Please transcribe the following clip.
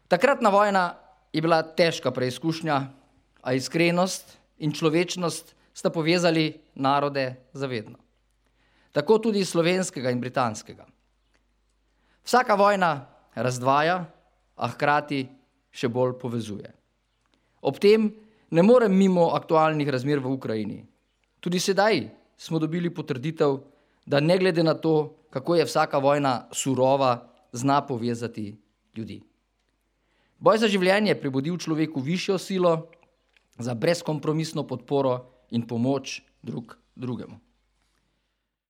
Takratna vojna je bila težka preizkušnja, a iskrenost in človečnost sta povezali narode zavedno. Tako tudi slovenskega in britanskega. Vsaka vojna razdvaja, a hkrati še bolj povezuje. Ob tem ne morem mimo aktualnih razmer v Ukrajini. Tudi sedaj smo dobili potrditev, da ne glede na to, kako je vsaka vojna surova, zna povezati ljudi. Boj za življenje je prebudil človeku višjo silo za brezkompromisno podporo in pomoč drug drugemu.